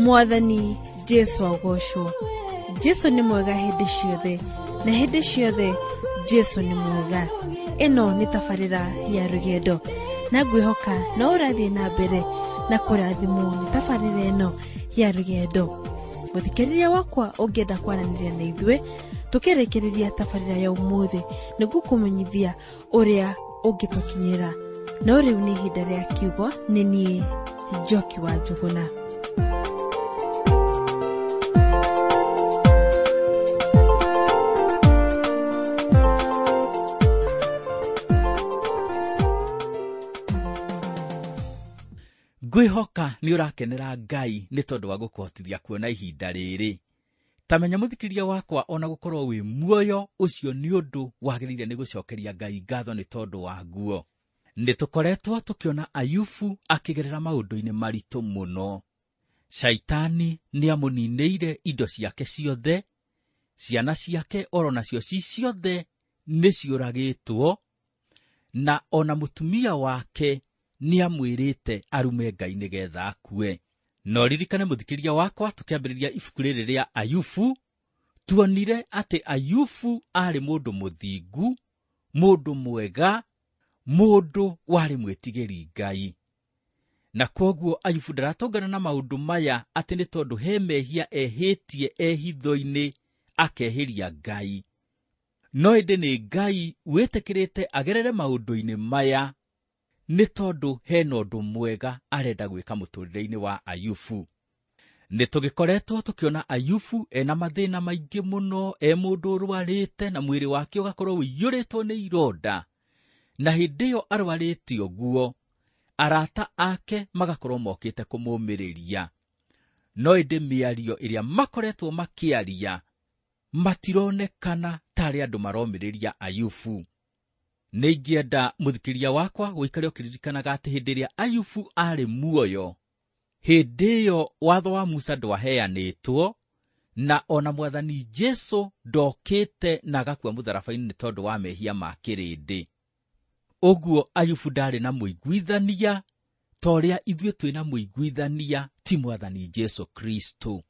Mwathani Jesu agocwo. Jesu nĩ mwega hĩndĩ ciothe, na hĩndĩ ciothe Jesu nĩ mwega. Ĩno nĩ tabarĩra ya rũgendo, na ngwĩhoka no ũrathiĩ na mbere na kũrathimwo nĩ tabarĩra ĩno ya rũgendo. Mũthikĩrĩria wakwa, ũngĩenda kwaranĩria na ithuĩ tũkĩrĩkĩrĩria tabarĩra ya ũmũthĩ, nĩngũkũmenyithia ũrĩa ũngĩtũkinyĩra. No rĩu nĩ ihinda rĩa kiugo. Nĩ niĩ Njoki wa Njũgũna. Ngwĩhoka nĩ ũrakenera Ngai nĩ tondũ wa gũkũhotithia kuona ihinda rĩrĩ. Ta menya, mũthikĩria wakwa, ona gũkorwo wĩ muoyo, ũcio nĩ ũndũ wagĩrĩire nĩ gũcokeria Ngai ngatho nĩ tondũ waguo. Nĩ tũkoretwo tũkĩona Ayubu akĩgerera maũndũ-inĩ maritũ mũno. Caitani nĩ amũninĩire indo ciake ciothe, ciana ciake oro nacio ci ciothe nĩ ciũragĩtwo, na ona mũtumia wake nĩ amwĩrĩte arume Ngai nĩgetha akue. No ririkane, mũthikĩria wakwa, tũkĩambĩrĩria ibuku rĩrĩ rĩa Ayubu, tuonire atĩ Ayubu aarĩ mũndũ mũthingu, mũndũ mwega, mũndũ warĩ mwĩtigĩri Ngai. Na kwoguo Ayubu ndaratũngana na maũndũ maya atĩ nĩ tondũ he mehia ehĩtie ehitho-inĩ akehĩria Ngai. No ĩndĩ nĩ Ngai wĩtĩkĩrĩte agerere maũndũ-inĩ maya nĩ tondũ hena ũndũ mwega arenda gwĩka mũtũrĩre-inĩ wa Ayubu. Nĩ tũgĩkoretwo tũkĩona Ayubu ena mathĩna maingĩ mũno, e mũndũ ũrwarĩte na mwĩrĩ wake ũgakorwo ũiyũrĩtwo nĩ ironda. Na hĩndĩ ĩyo arwarĩte ũguo, arata ake magakorwo mokĩte kũmũmĩrĩria. No ĩndĩ mĩario ĩrĩa makoretwo makĩaria matironekana tarĩ andũ maromĩrĩria Ayubu. Nĩ ingĩenda, mũthikĩria wakwa, gũikare ũkĩririkanaga atĩ hĩndĩ ĩrĩa Ayubu aarĩ muoyo, hĩndĩ ĩyo watho wa Musa ndwaheanĩtwo, na ona Mwathani Jesu ndokĩte na agakua mũtharaba-inĩ nĩ tondũ wa mehia ma kĩrĩndĩ. Ũguo Ayubu ndarĩ na mũiguithania ta ũrĩa ithuĩ twĩna mũiguithania, ti Mwathani Jesu Kristo.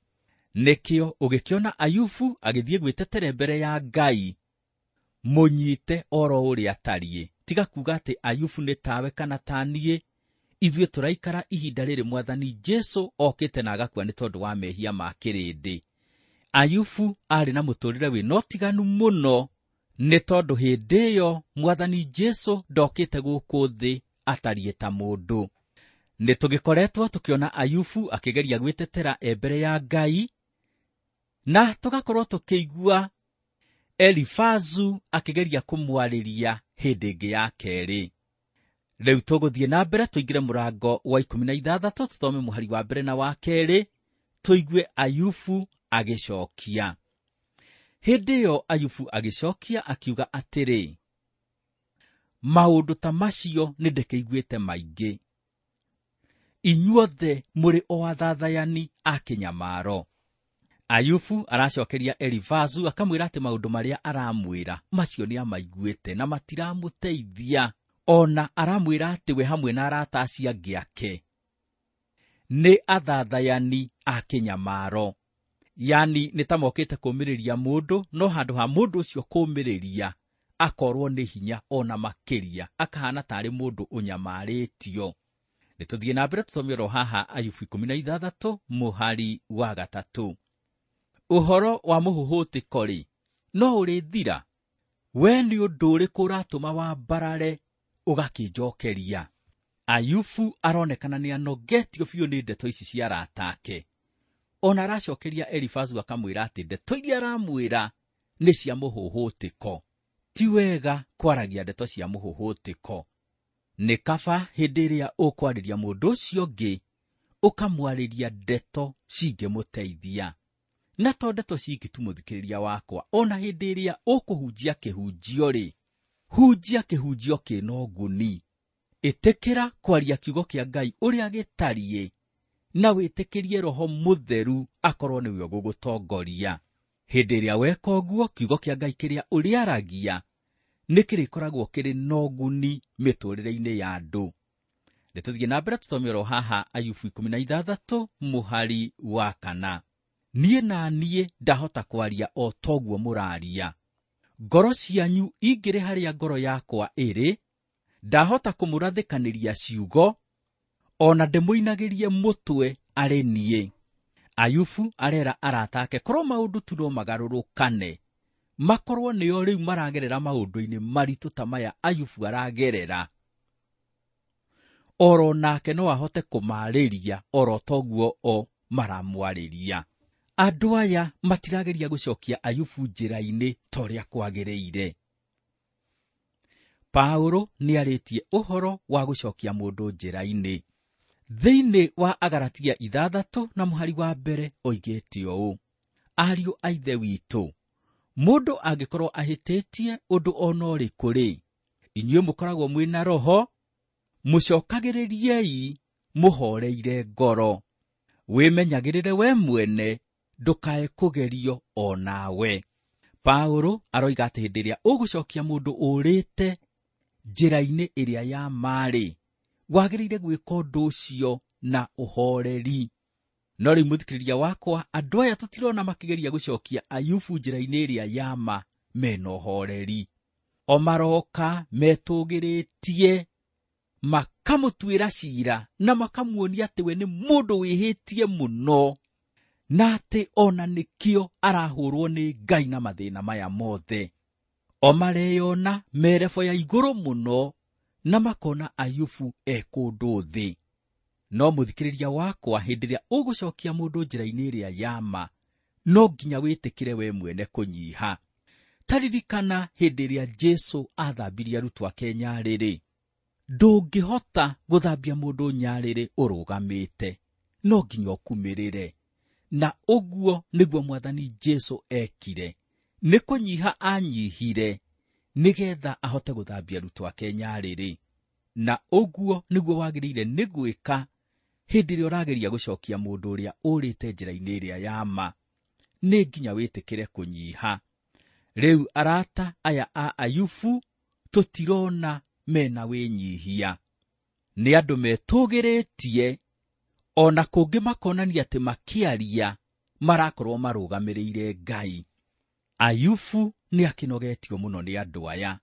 Nĩkĩo ũgĩkĩona Ayubu agĩthiĩ gwĩtetera mbere ya Ngai, mũnyite oro ũrĩa atariĩ. Tiga kuga atĩ Ayubu nĩ tawe kana ta niĩ. Ithuĩ tũraikara ihinda rĩrĩ Mwathani Jesu okĩte na agakua nĩ tondũ wa mehia ma kĩrĩndĩ. Ayubu aarĩ na mũtũrĩre wĩna ũtiganu mũno, nĩ tondũ hĩndĩ ĩyo Mwathani Jesu ndokĩte gũkũ thĩ atariĩ ta mũndũ. Nĩ tũgĩkoretwo tũkĩona Ayubu akĩgeria gwĩtetera e mbere ya Ngai, na tũgakorwo tũkĩigua Elifazu akĩgeria kũmwarĩria hĩndĩ ĩngĩ ya kerĩ. Rĩu tũgũthiĩ na mbere tũingĩre mũrango wa 16, tũthome mũhari wa mbere na wa kerĩ, tũigue Ayubu agĩcokia. Hĩndĩ ĩyo Ayubu agĩcokia akiuga atĩrĩ, maũndũ ta macio nĩ ndĩkĩiguĩte maingĩ. Inyuothe mũrĩ o athathayani a kĩnyamaro. Ayubu aracokeria Elifazu akamwĩra atĩ maũndũ marĩa aramwĩra macio nĩ amaiguĩte na matiramũteithia. Ona aramwĩra atĩ we hamwe na arata acio angĩ ake nĩ athathayani a kĩnyamaro. Yani nĩ ta mokĩte kũũmĩrĩria mũndũ, no handũ ha mũndũ ũcio kũũmĩrĩria akorwo nĩ hinya ona makĩria, akahana tarĩ mũndũ ũnyamarĩtio. Nĩ tũthiĩ na mbere tũthome oro haha Ayubu 16 mũhari wa 3. Ũhoro wa mũhũhũtĩko-rĩ, no ũrĩthira? We nĩ ũndũ ũrĩkũ ũratũma wambarare ũgakĩnjokeria? Ayubu aronekana nĩ anogetio biũ nĩ ndeto ici cia arata ake. Ona aracokeria Elifazu akamwĩra atĩ ndeto iria aramwĩra nĩ cia mũhũhũtĩko. Ti wega kwaragia ndeto cia mũhũhũtĩko. Nĩ kaba hĩndĩ ĩrĩa ũkwarĩria mũndũ ũcio ũngĩ ũkamwarĩria ndeto cingĩmũteithia. Na to ndeto ciki tu, mũthikĩrĩria wakwa, ona hĩndĩ ĩrĩa ũkũhunjia kĩhunjio-rĩ, hunjia kĩhunjio kĩna ũguni. Ĩtĩkĩra kwaria kiugo kĩa Ngai ũrĩa gĩtariĩ, na wĩtĩkĩrie Roho Mũtheru akorwo nĩwe ũgũgũtongoria. Hĩndĩ ĩrĩa weka ũguo, kiugo kĩa Ngai kĩrĩa ũrĩaragia nĩ kĩrĩkoragwo kĩrĩ na ũguni mĩtũrĩre-inĩ ya andũ. Nĩ tũthiĩ na mbere tũthome oro haha Ayubu 16 mũhari wa 4. Niĩ na niĩ ndahota kwaria o toguo mũraria. Ngoro cianyu ingĩrĩ harĩa ngoro yakwa ĩrĩ, ndahota kũmũrathĩkanĩria ciugo, o na ndĩmũinagĩrie mũtwe arĩ niĩ. Ayubu arera arata ake korwo maũndũ tu no magarũrũkane, makorwo nĩo rĩu maragerera maũndũ-inĩ maritũ ta maya Ayubu aragerera, oro nake no ahote kũmarĩria oro toguo o maramwarĩria. Andũ aya matirageria gũcokia Ayubu njĩra-inĩ ta ũrĩa kwagĩrĩire. Paulo nĩarĩtie ũhoro wa gũcokia mũndũ njĩra-inĩ. Thĩinĩ wa Agalatia 6 na mũhari wa 1 oigĩte ũũ: ariũ a Ithe witũ, mũndũ angĩkorwo ahĩtĩtie ũndũ o na ũrĩkũ-rĩ, inyuĩ mũkoragwo mwĩna roho, mũcokagĩrĩriei mũhoreire ngoro. Wĩmenyagĩrĩre we mwene, ndũkae kũgerio o nawe. Paulo aroiga atĩ hĩndĩ ĩrĩa ũgũcokia mũndũ ũrĩte njĩra-inĩ ĩrĩa ya marĩ, wagĩrĩire gwĩka ũndũ ũcio na ũhoreri. No rĩu mũthikĩrĩria wakwa, andũ aya tũtirona makĩgeria gũcokia Ayubu njĩra-inĩ ĩrĩa ya ma mena ũhoreri. O maroka metũgĩrĩtie, makamũtuĩra cira na makamuonia atĩ we nĩ mũndũ wĩhĩtie mũno, na atĩ ona nĩkĩo arahũrwo nĩ Ngai na mathĩna maya mothe. O mareyona merebo ya igũrũ mũno na makona Ayubu e kũndũ thĩ. No mũthikĩrĩria wakwa, hĩndĩ ĩrĩa ũgũcokia mũndũ njĩra-inĩ ĩrĩa ya ma, no nginya wĩtĩkĩre we mwene kũnyiha. Ta ririkana hĩndĩ ĩrĩa Jesũ athambirie arutwo ake nyarĩrĩ. Ndũngĩhota gũthambia mũndũ nyarĩrĩ ũrũgamĩte, no nginya ũkumĩrĩre. Na ũguo nĩguo Mwathani Jesũ ekire, nĩ kũnyiha anyihire nĩgetha ahote gũthambia arutwo ake nyarĩrĩ. Na ũguo nĩguo wagĩrĩire nĩ gwĩka hĩndĩ ĩrĩa ũrageria gũcokia mũndũ ũrĩa ũrĩte njĩra-inĩ ĩrĩa ya ma, nĩ nginya wĩtĩkĩre kũnyiha. Rĩu arata aya a Ayubu tũtirona mena wĩnyihia, nĩ andũ metũgĩrĩtie, ona kũngĩ makonania atĩ makĩaria marakorwo marũgamĩrĩire Ngai. Ayubu nĩ akĩnogetio mũno nĩ andũ aya.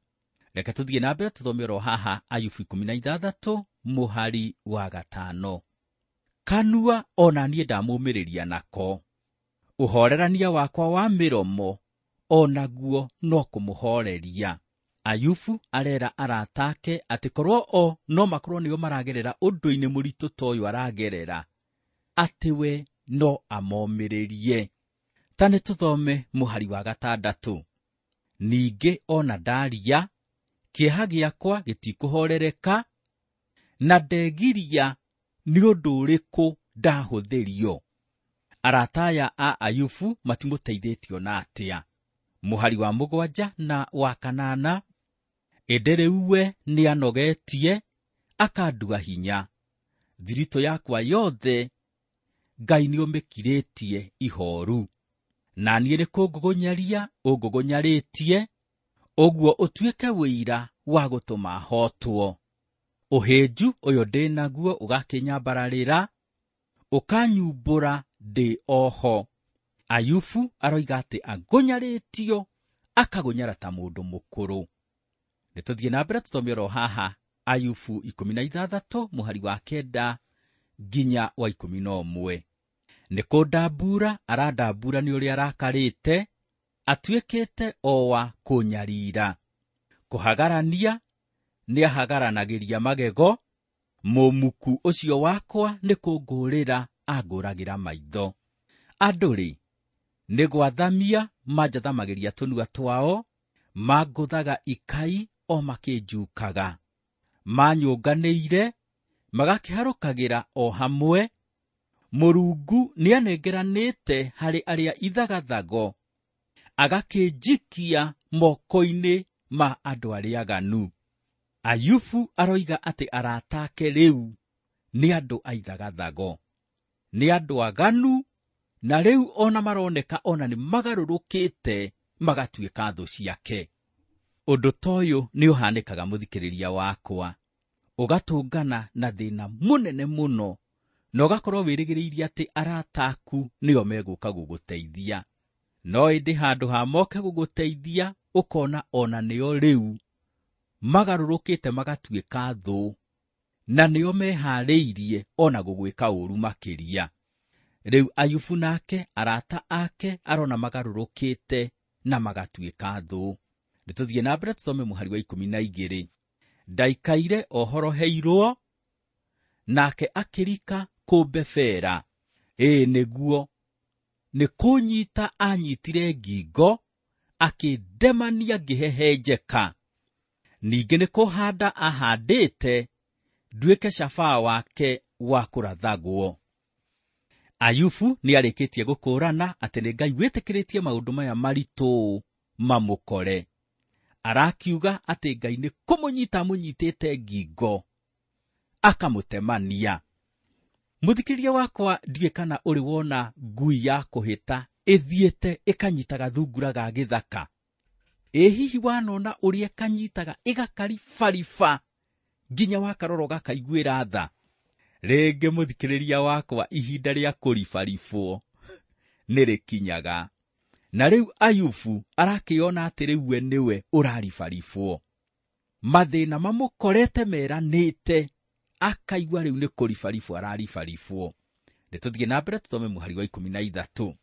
Reke tũthiĩ na mbere tũthome oro haha Ayubu 16 mũhari wa 5. Kanua ona niĩ ndamũmĩrĩria nako, ũhorerania wakwa wa mĩromo onaguo no kũmũhoreria. Ayubu arera arata ake atĩ korwo o no makorwo nĩo maragerera ũndũ-inĩ mũritũ ta ũyũ aragerera, atĩ we no amomĩrĩrie. Ta nĩ tũthome mũhari wa 6. Ningĩ ona ndaria, kĩeha gĩakwa gĩtikũhorereka, na ndegiria nĩ ũndũ ũrĩkũ ndahũthĩrio. Arata aya a Ayubu matimũteithĩtio na atĩa. Mũhari wa 7 na wa 8. Ĩndĩ rĩu we nĩanogetie, akandua hinya. Thiritũ yakwa yothe Ngai nĩũmĩkirĩtie ihoru. Na niĩ nĩ kũngũgũnyaria ũngũgũnyarĩtie, ũguo ũtuĩke wĩira wa gũtũma hotwo. Ũhĩnju ũyũ ndĩ naguo ũgakĩnyambararĩra, ũkanyumbũra ndĩ oho. Ayubu aroiga atĩ agũnyarĩtio, akagũnyara ta mũndũ mũkũrũ. Nĩ tũthiĩ na mbere tũthome oro haha Ayubu 16 mũhari wa 9 nginya wa 11. Nĩ kũndambura arandambura nĩ ũrĩa arakarĩte, atuĩkĩte o wa kũnyarira. Kũhagarania nĩahagaranagĩria magego, mũmuku ũcio wakwa nĩ kũngũrĩra angũragĩra maitho. Andũ-rĩ, nĩ gwathamia manjathamagĩria tũnua twao, mangũthaga ikai o makĩnjukaga. Manyũnganĩire, magakĩharũkagĩra o hamwe. Mũrungu nĩanengeranĩte harĩ arĩa ithagathago, agakĩnjikia moko-inĩ ma andũ arĩa aganu. Ayubu aroiga atĩ arata ake rĩu nĩ andũ a ithagathago, nĩ andũ aganu, na rĩu ona maroneka ona nĩ magarũrũkĩte magatuĩka thũ ciake. Ũndũ ta ũyũ nĩ ũhanĩkaga mũthikĩrĩria wakwa. Ũgatũngana na thĩna mũnene mũno, na ũgakorwo wĩrĩgĩrĩirie atĩ arata aku nĩo megũka gũgũteithia. No ĩndĩ handũ ha moke gũgũteithia, ũkona ona nĩo rĩu magarũrũkĩte magatuĩka thũ, na nĩo meharĩirie ona gũgwĩka ũru makĩria. Rĩu Ayubu nake arata ake arona magarũrũkĩte na magatuĩka thũ. Nĩtũthiĩ na mbere tũthome mũhari wa 12. Ndaikaire ohoroheirwo, nake akĩrika kũmbebera. Ĩĩ nĩguo, nĩ kũnyita anyitire ngingo, akĩndemania ngĩhehenjeka. Ningĩ nĩ kũhanda ahandĩte, nduĩke cabaa wake wa kũrathagwo. Ayubu nĩarĩkĩtie gũkũrana atĩ nĩ Ngai wĩtĩkĩrĩtie maũndũ maya maritũ mamũkore. Arakiuga atĩ Ngai nĩ kũmũnyita amũnyitĩte ngingo, akamũtemania. Mũthikĩrĩria wakwa, ndiũĩ kana ũrĩ wona ngui ya kũhĩta ĩthiĩte ĩkanyita gathungura ga gĩthaka. Ĩ hihi wanona ũrĩa ĩkanyitaga ĩgakaribariba nginya wakarora ũgakaiguĩra tha? Rĩngĩ mũthikĩrĩria wakwa, ihinda rĩa kũribaribwo nĩ rĩkinyaga. Na rĩu Ayubu arakĩona atĩ rĩu we nĩwe ũraribaribwo. Mathĩna mamũkorete meranĩte, akaigua rĩu nĩ kũribaribwo araribaribwo. Nĩtũthiĩ na mbere tũthome mũhari wa 13.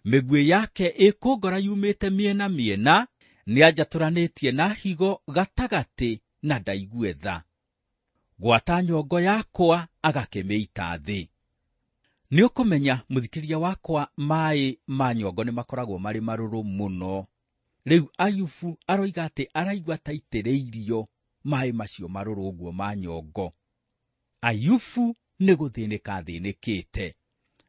Mĩguĩ yake ĩkũngora yumĩte mĩena mĩena, nĩanjatũranĩtie na higo gatagatĩ na ndaigue tha. Gwata nyongo yakwa agakĩmĩita thĩ. Nĩũkũmenya mũthikĩrĩria wakwa, maĩ ma nyongo nĩ makoragwo marĩ marũrũ mũno. Rĩu Ayubu aroiga atĩ araigua ta aitĩrĩirio maĩ macio marũrũ ũguo ma nyongo. Ayubu nĩ gũthĩnĩka athĩnĩkĩte.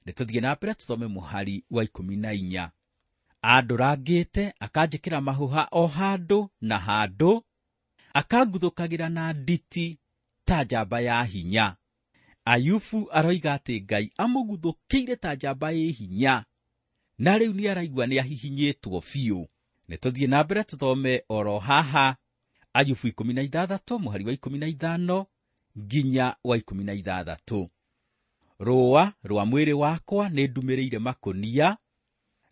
Nĩtũthiĩ na mbere tũthome mũhari wa 14. Andũrangĩte akanjĩkĩra mahũha o handũ na handũ, akanguthũkagĩra na nditi ta njamba ya hinya. Ayubu aroiga atĩ Ngai amũguthũkĩire ta njamba ĩ hinya, na rĩu nĩ araigua nĩ ahihinyĩtwo biũ. Nĩtũthiĩ na mbere tũthome oro haha Ayubu 16 mũhari wa 15 nginya wa 16. Rũa rwa mwĩrĩ wakwa nĩ ndumĩrĩire makũnia,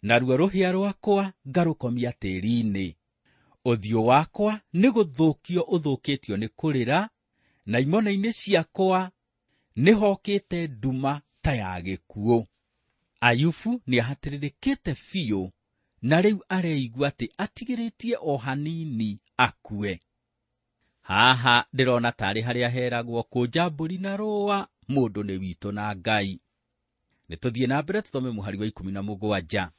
naruo rũhĩa rwakwa ngarũkomia tĩri-inĩ. Ũthiũ wakwa nĩ gũthũkio ũthũkĩtio nĩ kũrĩra, na imone-inĩ ciakwa nĩ hokĩte nduma ta ya gĩkuũ. Ayubu nĩ ahatĩrĩrĩkĩte biũ, na rĩu areigua atĩ atigĩrĩtie o hanini akue. Haha ndĩrona tarĩ harĩa heragwo kũnja mbũri na rũa, mũndũ nĩ witũ na Ngai. Nĩtũthiĩ na mbere tũthome mũhari wa 17.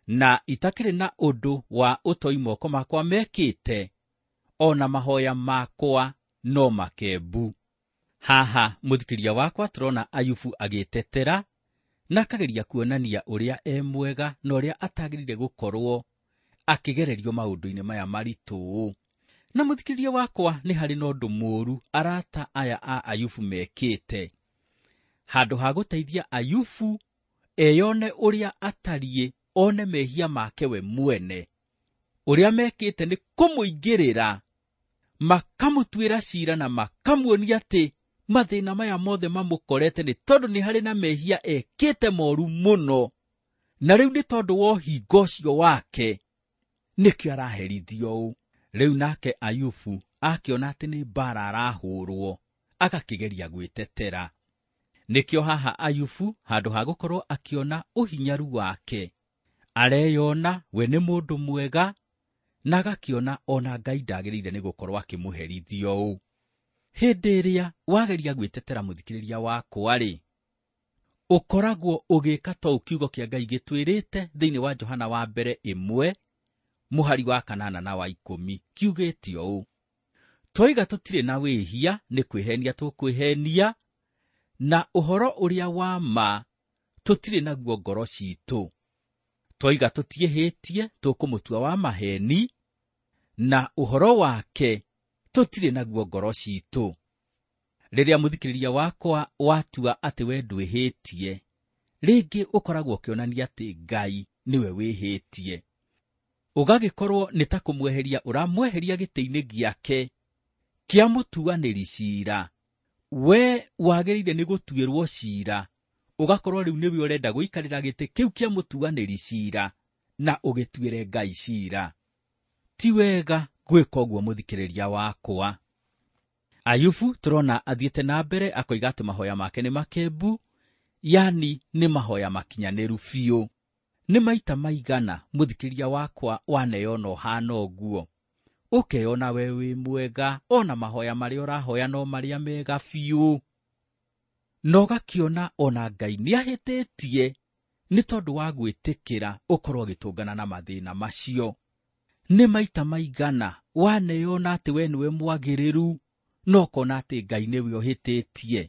Na itakĩrĩ na ũndũ wa ũtoi moko makwa mekĩte, ona mahoya makwa no makembu. Haha mũthikĩria wakwa tũrona Ayubu agĩtetera na akageria kuonania ũrĩa e mwega na ũrĩa atagĩrĩire gũkorwo akĩgererio maũndũ-inĩ maya maritũ. Na mũthikĩria wakwa, nĩ harĩ na ũndũ mũũru arata aya a Ayubu mekĩte. Handũ ha gũteithia Ayubu eyone ũrĩa atariĩ, one mehia make we mwene, ũrĩa mekĩte nĩ kũmũingĩrĩra, makamũtuĩra cira na makamuonia atĩ mathĩna maya mothe mamũkorete nĩ tondũ nĩ harĩ na mehia ekĩte moru mũno, na rĩu nĩ tondũ wa ũhingo ũcio wake nĩkĩo araherithio ũũ. Rĩu nake Ayubu akĩona atĩ nĩ mbara arahũrwo, agakĩgeria gwĩtetera. Nĩkĩo haha Ayubu handũ ha gũkorwo akĩona ũhinyaru wake, areyona we nĩ mũndũ mwega, na agakĩona ona Ngai ndagĩrĩire nĩ gũkorwo akĩmũherithio ũũ. Hĩndĩ ĩrĩa wageria gwĩtetera mũthikĩrĩria wakwa-rĩ, ũkoragwo ũgĩka ta ũũ kiugo kĩa Ngai gĩtwĩrĩte thĩinĩ wa Johana wa mbere 1 mũhari wa 8 na wa 10, kiugĩte ũũ: twoiga tũtirĩ na wĩhia nĩ kwĩhenia tũkwĩhenia, na ũhoro ũrĩa wa ma tũtirĩ naguo ngoro citũ. Twoiga tũtiĩhĩtie tũkũmũtua wa maheni, na ũhoro wake tũtirĩ naguo ngoro citũ. Rĩrĩa mũthikĩrĩria wakwa watua atĩ we ndwĩhĩtie, rĩngĩ ũkoragwo ũkĩonania atĩ Ngai nĩwe wĩhĩtie. Ũgagĩkorwo nĩ ta kũmweheria ũramweheria gĩtĩ-inĩ gĩake kĩa mũtuanĩri ciira. We wagĩrĩire nĩ gũtuĩrwo ciira, ũgakorwo rĩu nĩwe ũrenda gũikarĩra gĩtĩ kĩu kĩa mũtuanĩri ciira na ũgĩtuĩre Ngai ciira. Ti wega gwĩka ũguo mũthikĩrĩria wakwa. Ayubu tũrona athiĩte na mbere akoiga atĩ mahoya make nĩ makembu, yani nĩ mahoya makinyanĩru biũ. Nĩ maita maigana mũthikĩrĩria wakwa waneyona ũhana ũguo, ũkeyona we wĩ mwega, ona mahoya marĩa ũrahoya no marĩa mega biũ, na ũgakĩona ona Ngai nĩahĩtĩtie nĩ tondũ wa gwĩtĩkĩra ũkorwo ũgĩtũngana na mathĩna macio. Nĩ maita maigana waneyona atĩ we nĩwe mwagĩrĩru, no ũkona atĩ Ngai nĩwe ũhĩtĩtie.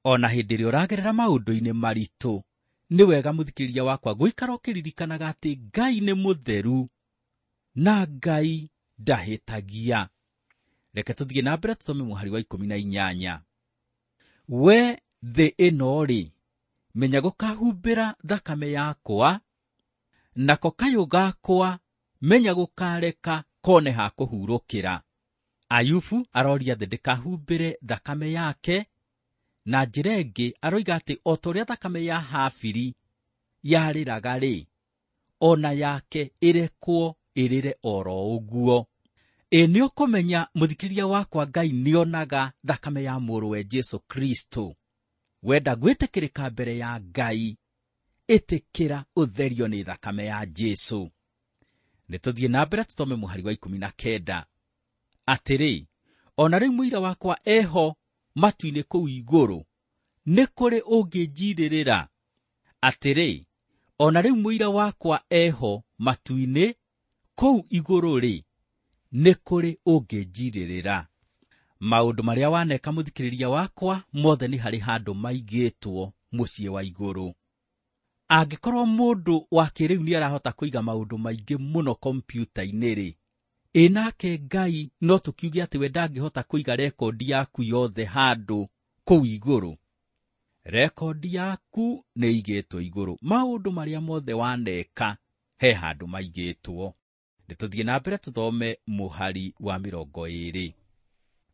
Ona hĩndĩ ĩrĩa ũragerera maũndũ-inĩ maritũ, nĩ wega mũthikĩrĩria wakwa gũikara ũkĩririkanaga atĩ Ngai nĩ mũtheru na Ngai ndahĩtagia. Reke tũthiĩ na mbere tũthome mũhari wa 18. We thĩ ĩno-rĩ, menya gũkahumbĩra thakame yakwa, nako kayũ gakwa menya gũkareka kone ha kũhurũkĩra. Ayubu aroria thĩ ndĩkahumbĩre thakame yake, na njĩra ĩngĩ aroiga atĩ o ta ũrĩa thakame ya Habili yarĩraga-rĩ, ona yake ĩrekwo ĩrĩre oro ũguo. Ĩ nĩ ũkũmenya mũthikĩrĩria wakwa Ngai nĩonaga thakame ya mũrũwe Jesũ Kristo. Wenda gwĩtĩkĩrĩka mbere ya Ngai, ĩtĩkĩra ũtherio nĩ thakame ya Jesũ. Nĩ tũthiĩ na mbere tũthome mũhari wa 19. Atĩrĩ, ona rĩu mũira wakwa eho matu-inĩ kũu igũrũ, nĩ kũrĩ ũngĩnjirĩrĩra. Atĩrĩ, ona rĩu mũira wakwa eho matu-inĩ kũu igũrũ-rĩ, nĩ kũrĩ ũngĩnjirĩrĩra. Maũndũ marĩa waneka mũthikĩrĩria wakwa mothe nĩ harĩ handũ maigĩtwo mũciĩ wa igũrũ. Angĩkorwo mũndũ wa kĩrĩu nĩ arahota kũiga maũndũ maingĩ mũno kompiuta-inĩ-rĩ, ĩ nake Ngai no tũkiuge atĩ we ndangĩhota kũiga rekondi yaku yothe handũ kũu igũrũ. Rekondi yaku nĩ igĩtwo igũrũ, maũndũ marĩa mothe waneka he handũ maigĩtwo. Nĩ tũthiĩ na mbere tũthome mũhari wa 20.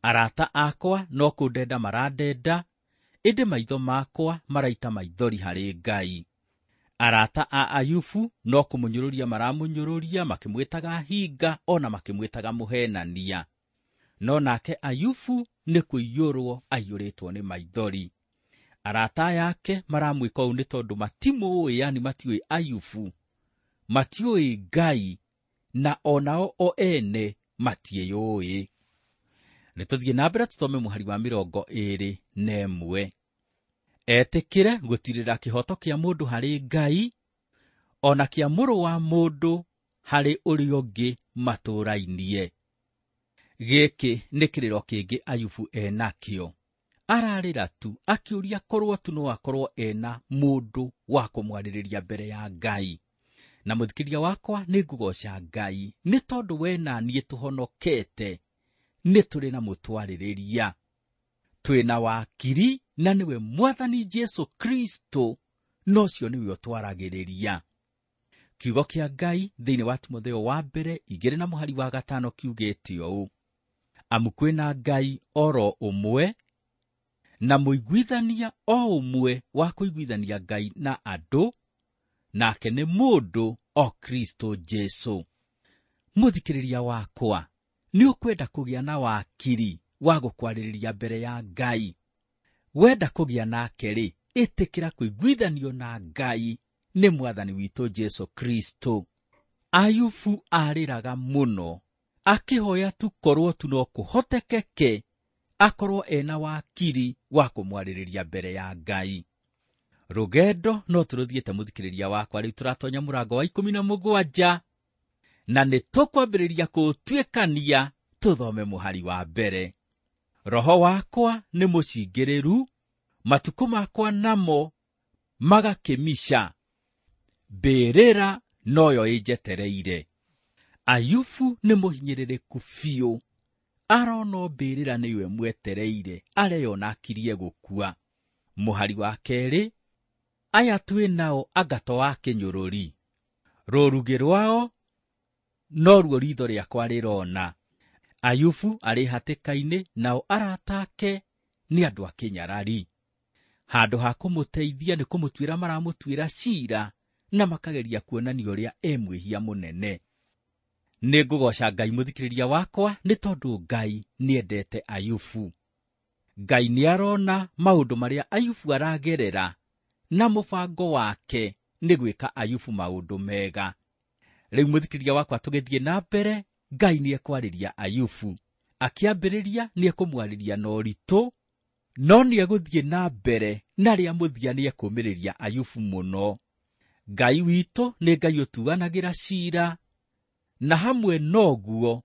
Arata akwa no kũndenda marandenda, ĩndĩ maitho makwa maraita maithori harĩ Ngai. Arata a Ayubu no kũmũnyũrũria maramũnyũrũria, makĩmwĩtaga hinga ona makĩmwĩtaga mũhenania. No nake Ayubu nĩ kũiyũrwo aiyũrĩtwo nĩ maithori. Arata yake maramwĩka ũũ nĩ tondũ matimũĩ, yani matiũĩ Ayubu, matiũĩ Ngai, na onao o ene matiĩyũĩ. Nĩ tũthiĩ na mbere tũthome mũhari wa 21. Etĩkĩre gũtirĩra kĩhoto kĩa mũndũ harĩ Ngai, ona kĩa mũrũ wa mũndũ harĩ ũrĩa ũngĩ matũrainie. Gĩkĩ nĩ kĩrĩro kĩngĩ Ayubu enakĩo. Ararĩra tu akĩũria korwo tu no akorwo ena mũndũ wa kũmwarĩrĩria mbere ya Ngai. Na mũthikĩria wakwa nĩ ngũgoca Ngai nĩ tondũ we na niĩ tũhonokete, nĩ tũrĩ na mũtwarĩrĩria, twĩna wakiri, na nĩwe Mwathani Jesũ Kristo, na ũcio nĩwe ũtwaragĩrĩria. Kiugo kĩa Ngai thĩinĩ wa Timotheo wa mbere 2 na mũhari wa 5 kiugĩte ũũ: amu kwĩna Ngai oro ũmwe, na mũiguithania o ũmwe wa kũiguithania Ngai na andũ, nake nĩ mũndũ o Kristo Jesũ. Mũthikĩrĩria wakwa, nĩ ũkwenda kũgĩa na wakiri wa gũkwarĩrĩria mbere ya Ngai. Wenda kũgĩa nake rĩ, ĩtĩkĩra kũiguithanio na Ngai nĩ Mwathani witũ Jesũ Kristo. Ayubu arĩraga mũno akĩhoya tu korwo tu no kũhotekeke akorwo ena wakiri wa kũmwarĩrĩria mbere ya Ngai. Rũgendo no tũrũthiĩte mũthikĩrĩria wakwa, rĩu tũratonya mũrango wa 17 na nĩ tũkwambĩrĩria kũũtuĩkania tũthome mũhari wa mbere. Roho wakwa nĩ mũcingĩrĩru, matukũ makwa namo magakĩmica, mbĩrĩra noyo ĩnjetereire. Ayubu nĩ mũhinyĩrĩrĩku biũ, arona mbĩrĩra nĩyo ĩmwetereire, areyona akirie gũkua. Mũhari wa 2, aya twĩ nao angato wa kĩnyũrũri, rũrugĩ rwao noruo ritho rĩakwa rĩrona. Ayubu arĩ hatĩka-inĩ nao arata ake nĩ andũ a kĩnyarari. Handũ ha kũmũteithia nĩ kũmũtuĩra maramũtuĩra ciira na makageria kuonania ũrĩa e mwĩhia mũnene. Nĩ ngũgoca Ngai mũthikĩrĩria wakwa nĩ tondũ Ngai nĩendete Ayubu. Ngai nĩarona maũndũ marĩa Ayubu aragerera na mũbango wake nĩ gwĩka Ayubu maũndũ mega. Rĩu mũthikĩrĩria wakwa tũgĩthiĩ na mbere, Ngai nĩekwarĩria Ayubu. Akĩambĩrĩria nĩekũmwarĩria na ũritũ, no nĩegũthiĩ na mbere na rĩa mũthia nĩekũũmĩrĩria Ayubu mũno. Ngai witũ nĩ Ngai ũtuanagĩra ciira, na hamwe noguo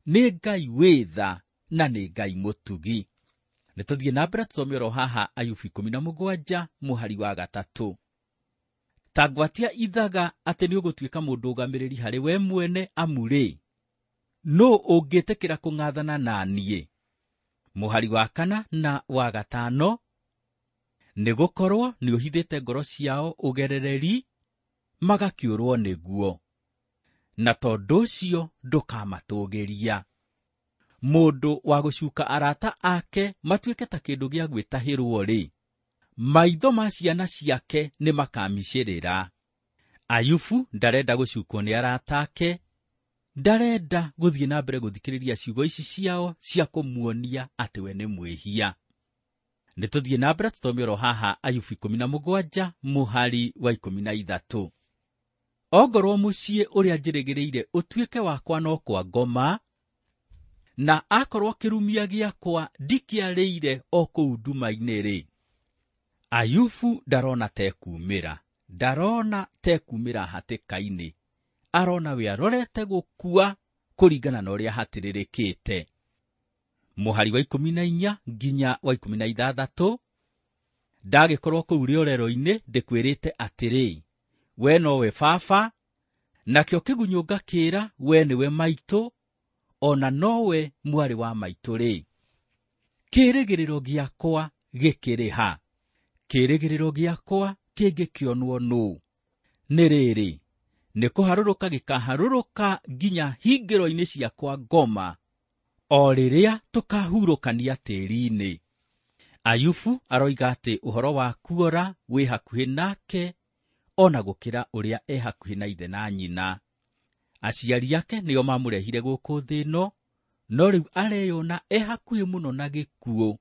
nĩ Ngai wĩ tha na nĩ Ngai mũtugi. Nĩ tũthiĩ na mbere tũthome oro haha Ayubu 17 mũhari wa 3. Ta ngwatia ithaga atĩ nĩũgũtuĩka mũndũ ũgamĩrĩri harĩ we mwene, amu-rĩ, nũũ ũngĩtĩkĩra kũng'athana na niĩ? Mũhari wa 4 na wa 5, nĩgũkorwo nĩũhithĩte ngoro ciao ũgerereri, magakĩũrwo nĩguo, na tondũ ũcio ndũkamatũgĩria. Mũndũ wa gũcuka arata ake matuĩke ta kĩndũ gĩa gwĩtahĩrwo-rĩ, maitho ma ciana ciake nĩmakamicĩrĩra. Ayubu ndarenda gũcukwo nĩ arata ake, ndarenda gũthiĩ na mbere gũthikĩrĩria ciugo ici ciao cia kũmuonia atĩ we nĩ mwĩhia. Nĩ tũthiĩ na mbere tũthome oro haha Ayubu 17 mũhari wa 13. Ongorwo mũciĩ ũrĩa njĩrĩgĩrĩire ũtuĩke wakwa no kwa ngoma, na akorwo kĩrumia gĩakwa ndikĩarĩire o kũu nduma-inĩ-rĩ. Ayubu ndarona tekumĩra, ndarona tekumĩra hatĩka-inĩ, arona we arorete gũkua kũringana na ũrĩa hatĩrĩrĩkĩte. Mũhari wa 14 nginya wa 16, ndagĩkorwo kũu rĩorero-inĩ ndĩkwĩrĩte atĩrĩ, we nowe baba, nakĩo kĩgunyũ ngakĩĩra we nĩwe maitũ, ona nowe mwarĩ wa maitũ-rĩ. Kĩĩrĩgĩrĩro gĩakwa gĩkĩrĩ ha? Kĩĩrĩgĩrĩro gĩakwa kĩngĩkĩonwo nũũ? Nĩ rĩrĩ, nĩ kũharũrũka gĩkaharũrũka nginya hingĩro-inĩ ciakwa ngoma, o rĩrĩa tũkahurũkania tĩĩri-inĩ. Ayubu aroiga atĩ ũhoro wa kuora wĩ hakuhĩ nake ona gũkĩra ũrĩa e hakuhĩ na ithe na nyina. Aciari ake nĩo mamũrehire gũkũ thĩ ĩno, no rĩu areyona e hakuhĩ mũno na gĩkuũ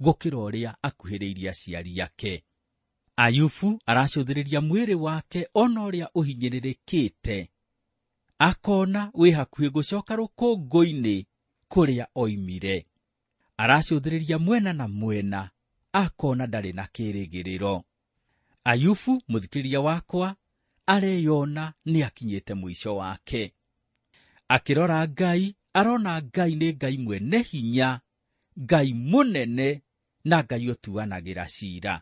gũkĩra ũrĩa akuhĩrĩirie aciari ake. Ayubu aracũthĩrĩria mwĩrĩ wake ona ũrĩa ũhinyĩrĩrĩkĩte, akona wĩ hakuhĩ gũcoka rũkũngũ-inĩ kũrĩa oimire. Aracũthĩrĩria mwena na mwena, akona ndarĩ na kĩĩrĩgĩrĩro. Ayubu mũthikĩrĩria wakwa areyona nĩakinyĩte mũico wake. Akĩrora Ngai, arona Ngai nĩ Ngai mwene hinya, Ngai mũnene na Ngai ũtuanagĩra ciira.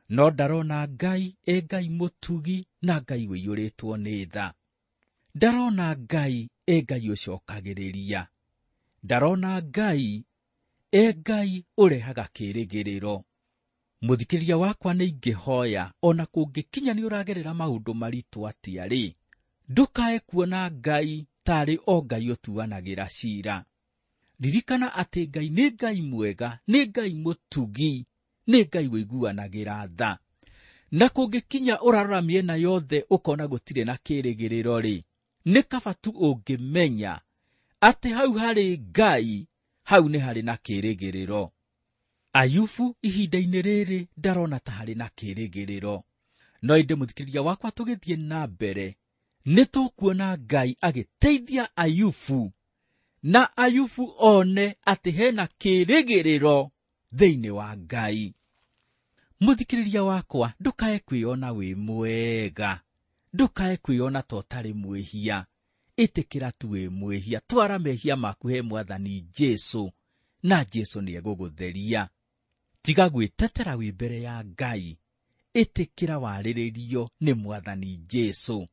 No ndarona Ngai e Ngai mũtugi na Ngai ũiyũrĩtwo nĩ tha. Ndarona Ngai e Ngai ũcokagĩrĩria. Ndarona Ngai e Ngai ũrehaga kĩĩrĩgĩrĩro. Mũthikĩrĩria wakwa nĩ ingĩhoya ona kũngĩkinya nĩ ũragerera maũndũ maritũ atĩa-rĩ, ndũkae kuona Ngai tarĩ o Ngai ũtuanagĩra ciira. Ririkana atĩ Ngai nĩ Ngai mwega, nĩ Ngai mũtugi, nĩ Ngai ũiguanagĩra tha. Na kũngĩkinya ũrarora mĩena yothe ũkona gũtirĩ na kĩĩrĩgĩrĩro-rĩ, nĩ kaba tu ũngĩmenya atĩ hau harĩ Ngai, hau nĩ harĩ na kĩĩrĩgĩrĩro. Ayubu ihinda-inĩ rĩrĩ ndarona ta harĩ na kĩĩrĩgĩrĩro. No ĩndĩ mũthikĩrĩria wakwa tũgĩthiĩ na mbere, nĩ tũkuona Ngai agĩteithia Ayubu, na Ayubu one atĩ hena kĩĩrĩgĩrĩro thĩinĩ wa Ngai. Mũthikĩrĩria wakwa, ndũkae kwĩona wĩ mwega, ndũkae kwĩona ta ũtarĩ mwĩhia. Ĩtĩkĩra tu wĩ mwĩhia, twara mehia maku he Mwathani Jesũ, na Jesũ nĩegũgũtheria. Tiga gwĩtetera wĩ mbere ya Ngai, ĩtĩkĩra warĩrĩrio nĩ Mwathani Jesũ.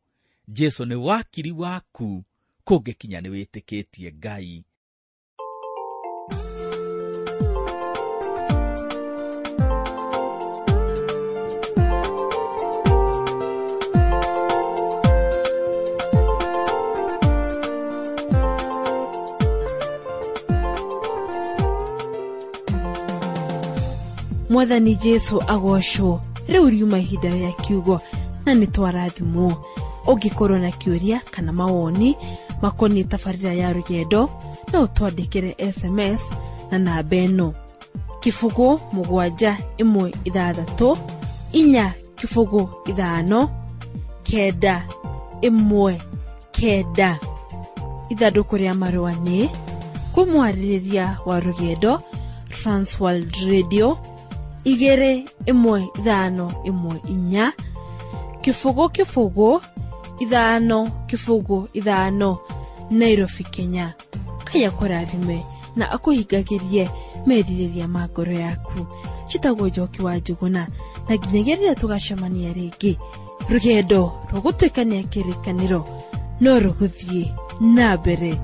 Jesũ nĩ wakiri waku kũngĩkinya nĩ wĩtĩkĩtie Ngai. Mwathani Jesu agocwo. Rĩu riuma ihinda rĩa kiugo na nĩ twarathimwo. Ũngĩkorwo na kĩũria kana mawoni makoniĩ tabarĩra ya rũgendo, no ũtwandĩkĩre SMS na namba ĩno 0 7 1 6 4 0 5 9 1 9. Ithandũkũ rĩa marũa nĩ kũmwarĩrĩria wa rũgendo, Transworld Radio 2 1 5 1 4 0 0 5 0 5, Nairobi, Kenya. Ngai akũrathime na akũhingagĩrie merirĩria ma ngoro yaku. Njĩtagwo Njoki wa Njũgũna, na nginyagia rĩrĩa tũgacemania rĩngĩ, rũgendo rũgũtuĩkania kĩrĩkanĩro no rũgũthiĩ na mbere.